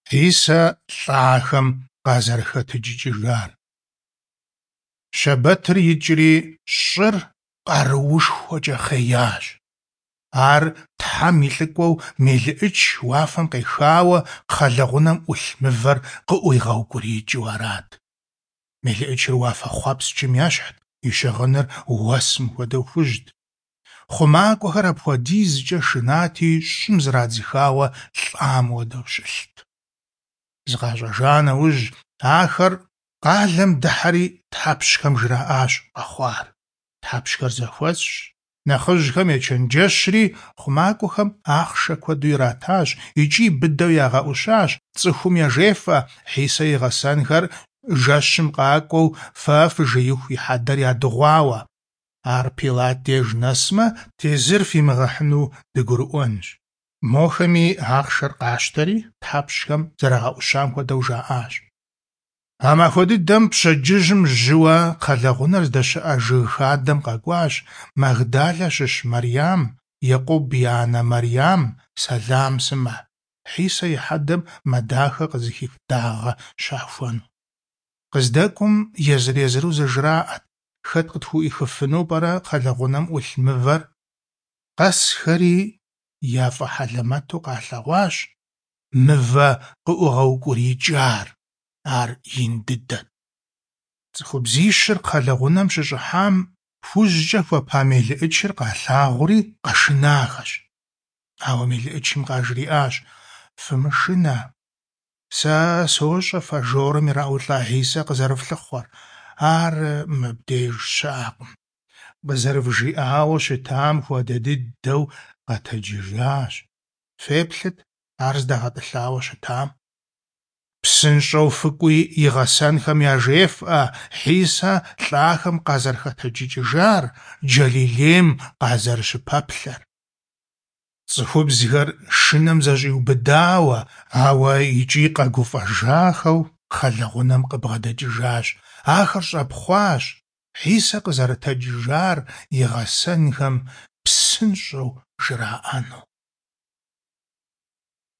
Хьисэ лӀахэм къазэрыхэтэджыкӀыжар. Щэбэтыр икӀри, щӀыр къаруушхуэкӀэ хъеящ. Ар Тхьэм и лӀыкӀуэу мелыӀыч уафэм къехауэ, кхъэлэгъунэм Ӏулъ мывэр къыӀуигъэукӀуриикӀыу арат. МелыӀычыр уафэхъуэпскӀым ещхьт, и щыгъыныр уэсым хуэдэу хужьт. ХъумакӀуэхэр апхуэдизкӀэ шынати, щӀым зрадзыхауэ лӀам хуэдэу щылът. ЗыкъащӀэжа нэужь, ахэр къалэм дыхьэри тхьэпщхэм жраӀащ къэхъуар. Тхьэпщхэр зэхуэсщ, нэхъыжьхэм ечэнджэщри, хъумакӀуэхэм ахъшэ куэду иратащ икӀи быдэу ягъэӀущащ: «ЦӀыхум яжефӀэ, Хьисэ и гъэсэнхэр жэщым къакӀуэу фэ фыжеиху и хьэдэр ядыгъуауэ. Ар Пилат деж нэсмэ, тезыр фимыгъэхьыну дыгурыӀуэнщ». Мохэми ахъшэр къащтэри, тхьэпщхэм зэрагъэӀущам хуэдэу жаӀащ. А махуэ дыдэм пщэдджыжьым жьыуэ кхъэлэгъунэр здэщыӀэ жыг хадэм къэкӀуащ Магдалэ щыщ Мэрям, Екъуб и анэ Мэрям, Сэлам сымэ, Хьисэ и хьэдэм мэ дахэ къызыхих дагъэ щахуэну. КъыздэкӀуэм езыр-езыру зэжраӀэт: Хэт къытхуӀуихыфыну пӀэрэ кхъэлэгъунэм Ӏулъ мывэр? Къэсхэри яфӀэхьэлэмэту къалъэгъуащ мывэ къыӀугъэукӀуриикӀар, ар ин дыдэт. ЦӀыхубзищыр кхъэлэгъунэм щыщӀыхьам, хужькӀэ хуэпа мелыӀычыр къалъагъури къэшынахэщ. Ауэ мелыӀычым къажриӀащ: Фымышынэ, сэ сощӀэ фэ жорым ираӀулӀа Хьисэ къызэрыфлъыхъуэр, ар мыбдеж щыӀэкъым. КъызэрывжиӀауэ щытам хуэдэ дыдэу къэтэджыжащ. Феплъыт ар здагъэтӀылъауэ щытам. ПсынщӀэу фыкӀуи и гъэсэнхэм яжефӀэ Хьисэ лӀахэм къазэрыхэтэджыкӀыжар, Джэлилейм къазэрыщыпэплъэр. ЦӀыхубзхэр шынэм зэщӀиубыдауэ, ауэ икӀи къэгуфӀэжахэу кхъэлэгъунэм къыбгъэдэкӀыжащ. Ахэр щӀэпхъуащ, Хьисэ къызэрытэджыжар и гъэсэнхэм псынщӀэу жраӀэну.